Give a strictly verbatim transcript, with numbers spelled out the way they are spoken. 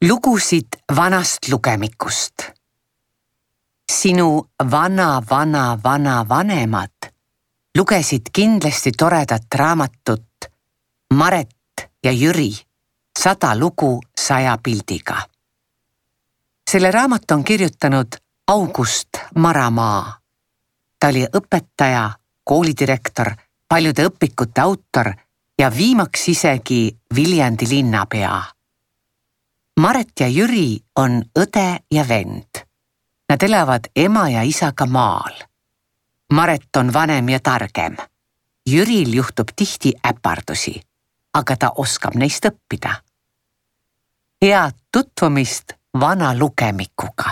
Lugusid vanast lugemikust. Sinu vana, vana, vana vanemad lugesid kindlasti toredat raamatut Maret ja Jüri, sada lugu saja pildiga. Selle raamat on kirjutanud August Maramaa. Ta oli õpetaja, koolidirektor, paljude õpikute autor ja viimaks isegi Viljandi linnapea. Maret ja Jüri on õde ja vend. Nad elavad ema ja isaga maal. Maret on vanem ja targem. Jüril juhtub tihti äpardusi, aga ta oskab neist õppida. Head tutvumist vana lugemikuga.